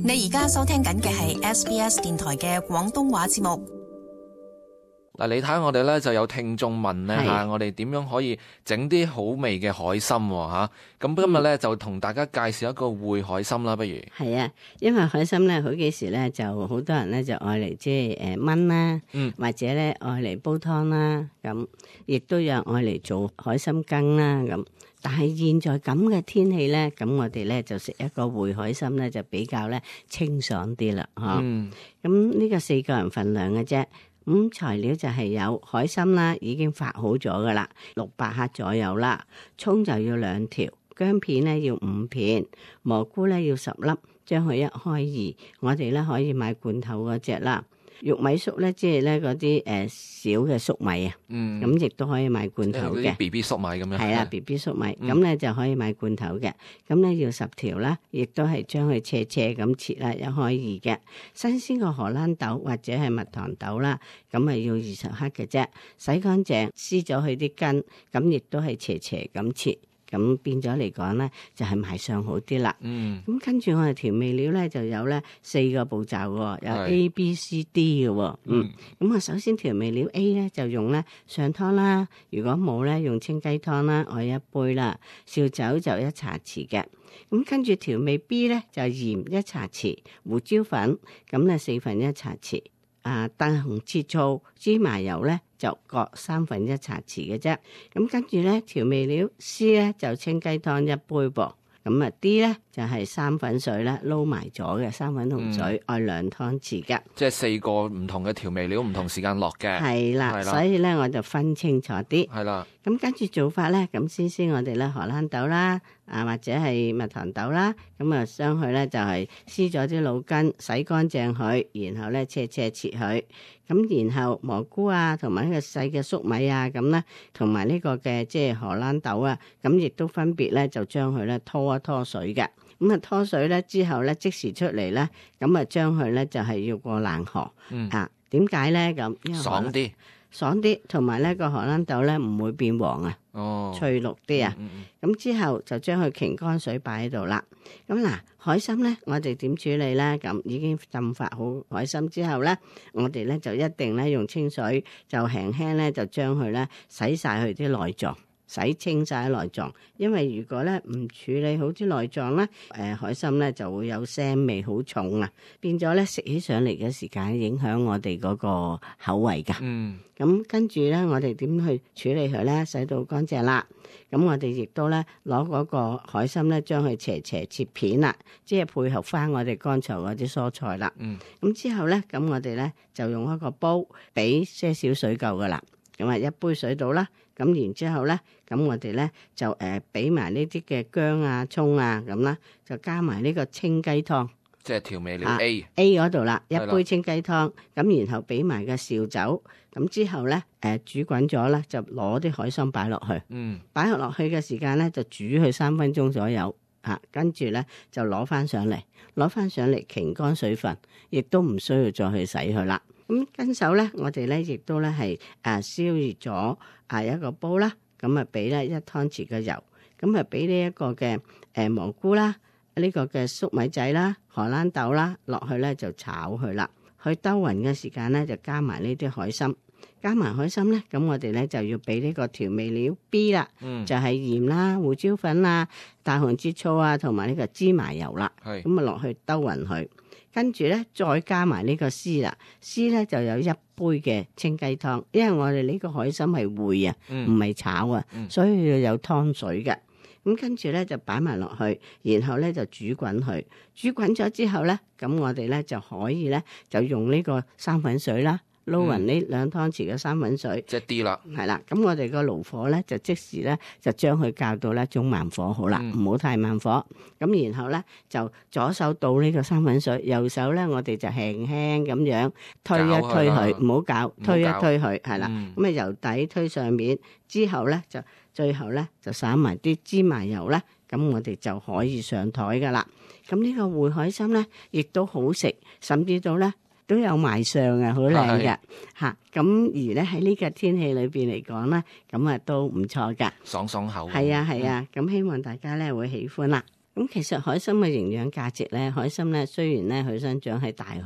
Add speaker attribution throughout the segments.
Speaker 1: 你而家收聽緊嘅係 SBS 電台嘅廣東話節目。
Speaker 2: 嗱，你睇我哋咧就有聽眾問咧嚇，我哋點樣可以整啲好味嘅海參嚇？咁今日咧就同大家介紹一個燴海參啦，不如？
Speaker 3: 係啊，因為海參咧好幾時咧就好多人咧就愛嚟即係燜啦，或者咧愛嚟煲湯啦，咁亦都有愛嚟做海參羹啦咁。但係現在咁嘅天氣咧，咁我哋咧就食一個燴海參咧就比較咧清爽啲啦，嚇。咁呢個4個人份量嘅啫。咁材料就係有海參啦，已經發好咗噶啦，600克左右啦。蔥就要2條，薑片咧要5片，蘑菇咧要10粒，將佢一開二。我哋咧可以買罐頭嗰隻啦。玉米粟咧，即係咧嗰啲小嘅粟米啊，咁亦都可以買罐頭嘅。
Speaker 2: B B 粟米咁樣。
Speaker 3: 係啊 ，B B 粟米，咁咧就可以買罐頭嘅。咁咧要10條啦，亦都係將佢斜咁切啦，一開二嘅。新鮮嘅荷蘭豆或者係蜜糖豆啦，咁啊要20克嘅啫。洗乾淨，撕咗佢啲根，咁亦都係斜咁切。咁變咗嚟講咧，就係賣相好啲啦。咁跟住我哋調味料咧就有咧4個步驟喎，有 A、B、C、D 嘅喎。咁啊，首先調味料 A 咧就用咧上湯啦，如果冇咧用清雞湯啦，我1杯啦，紹酒就1茶匙嘅。咁跟住調味 B 咧就鹽1茶匙，胡椒粉咁咧1/4茶匙。大紅切醋、芝麻油咧就各1/3茶匙嘅啫。咁跟住咧調味料 C 咧就清雞湯1杯噃。咁啊 D 咧就係生粉水咧撈埋咗嘅生粉同水，愛2湯匙嘅。
Speaker 2: 即係4個唔同嘅調味料，唔同時間落嘅。
Speaker 3: 係啦，所以咧我就分清楚啲。
Speaker 2: 係啦。
Speaker 3: 咁跟住做法咧，咁先我哋咧荷蘭豆啦，或者係蜜糖豆啦，咁啊將佢咧就係撕咗啲腦筋，洗乾淨佢，然後咧切佢。咁然後蘑菇啊，同埋呢個細嘅粟米啊，咁咧同埋呢個嘅即係荷蘭豆啊，咁亦都分別咧就將佢咧拖一拖水嘅。咁啊拖水咧之後咧即時出嚟咧，咁啊將佢咧就係要過冷河。點解咧咁？爽啲，同埋咧個荷蘭豆咧唔會變黃啊，翠綠啲啊。咁之後就將佢擎乾水擺喺度啦。咁嗱，海參咧我哋點處理咧？咁已經浸發好海參之後咧，我哋咧就一定咧用清水就輕輕咧就將佢咧洗晒佢啲內臟。洗清晒內臟，因為如果咧唔處理好啲內臟咧，海參咧就會有腥味好重啊，變咗咧食起上嚟嘅時間影響我哋嗰個口味噶。咁跟住咧，我哋點去處理佢咧？洗到乾淨啦，咁我哋亦都咧攞嗰個海參咧，將佢斜切片啦，即係配合翻我哋剛才嗰啲蔬菜啦。咁之後咧，咁我哋咧就用一個煲，俾些少水夠噶啦。咁啊1杯水到啦，咁然之後咧，咁我哋咧就俾埋呢啲嘅薑啊、蔥啊咁啦，就加埋呢個清雞湯，
Speaker 2: 即係調味料 A
Speaker 3: 嗰度啦，1杯清雞湯，咁然後俾埋個紹酒，咁之後咧煮滾咗啦，就攞啲海參擺落去，擺落去嘅時間咧就煮佢3分鐘左右，跟住咧就攞翻上嚟擎乾水分，亦都唔需要再去洗佢啦。咁跟手咧，我哋咧亦都咧係燒熱咗一個煲啦，咁啊俾咧1湯匙嘅油，咁啊俾呢一個嘅蘑菇啦，呢個嘅粟米仔啦、荷蘭豆啦落去咧就炒佢啦，去兜勻嘅時間咧就加埋呢啲海參，加埋海參咧，咁我哋咧就要俾呢個調味料 B 啦，就係鹽啦、胡椒粉啦、大紅浙醋啊，同埋呢個芝麻油啦，咁啊落去兜勻佢。跟住咧，再加埋呢個絲啦，絲咧就有1杯嘅清雞湯，因為我哋呢個海參係燴啊，唔係炒啊，所以要有湯水嘅。咁跟住咧就擺埋落去，然後咧就煮滾佢，煮滾咗之後咧，咁我哋咧就可以咧就用呢個生粉水啦。撈勻呢2湯匙嘅生粉水，
Speaker 2: 即係啲啦，
Speaker 3: 係啦。咁我哋個爐火咧就即時咧就將佢校到咧中慢火好啦，唔好太慢火。咁然後咧就左手倒呢個生粉水，右手咧我哋就輕輕咁樣推一推佢，唔好攪，推一推佢，係啦。咁啊由底推上面，之後咧就最後咧就灑埋啲芝麻油咧，咁我哋就可以上台噶啦。咁呢個燴海參咧亦都好食，甚至到咧都有賣相嘅，好靚嘅嚇。咁而咧喺呢個天氣裏邊嚟講咧，咁啊都唔錯噶，
Speaker 2: 爽爽口。
Speaker 3: 係啊係啊，咁希望大家咧會喜歡啦。咁其實海參嘅營養價值咧，海參咧雖然咧佢生長喺大海，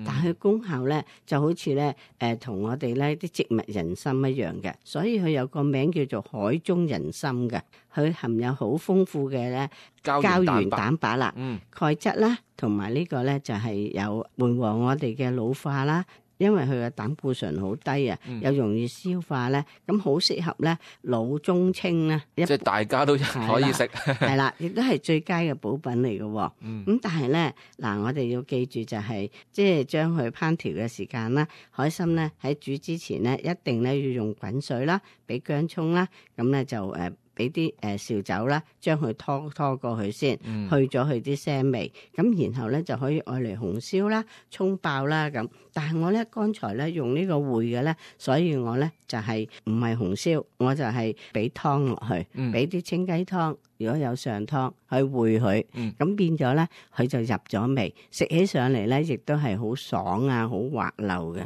Speaker 3: 但係佢功效咧就好似咧同我哋咧啲植物人參一樣嘅，所以佢有個名叫做海中人參嘅。佢含有好豐富嘅咧膠原蛋白啦、鈣質啦，同埋呢個咧就係有緩和我哋嘅老化啦。因為佢嘅膽固醇好低啊，又容易消化咧，咁好適合咧老中青咧，
Speaker 2: 即係大家都可以食，
Speaker 3: 係啦，亦都係最佳嘅補品嚟嘅。咁但係咧嗱，我哋要記住就係即係將佢烹調嘅時間啦，海參咧喺煮之前咧一定咧要用滾水啦，俾薑葱啦，咁咧就俾啲紹酒啦，將佢拖過去先，去咗佢啲腥味，咁然後咧就可以愛嚟紅燒啦、葱爆啦咁。但係我咧剛才咧用呢個燴嘅咧，所以我咧就係唔係紅燒，我就係俾湯落去，俾啲清雞湯，如果有上湯去燴佢，咁變咗咧佢就入咗味，食起上嚟咧亦都係好爽啊，好滑溜嘅。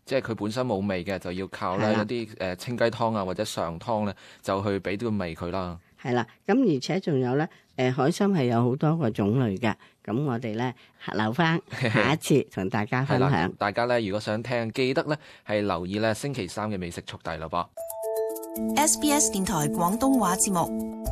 Speaker 2: 即係佢本身冇味嘅，就要靠咧一啲清雞湯啊或者上湯咧，就去俾啲味佢啦。
Speaker 3: 係啦，咁而且仲有咧，海參係有好多個種類嘅，咁我哋咧留翻下一次同大家分享。
Speaker 2: 大家咧如果想聽，記得咧係留意咧星期三嘅美食速遞咯噃。
Speaker 1: SBS 電台廣東話節目。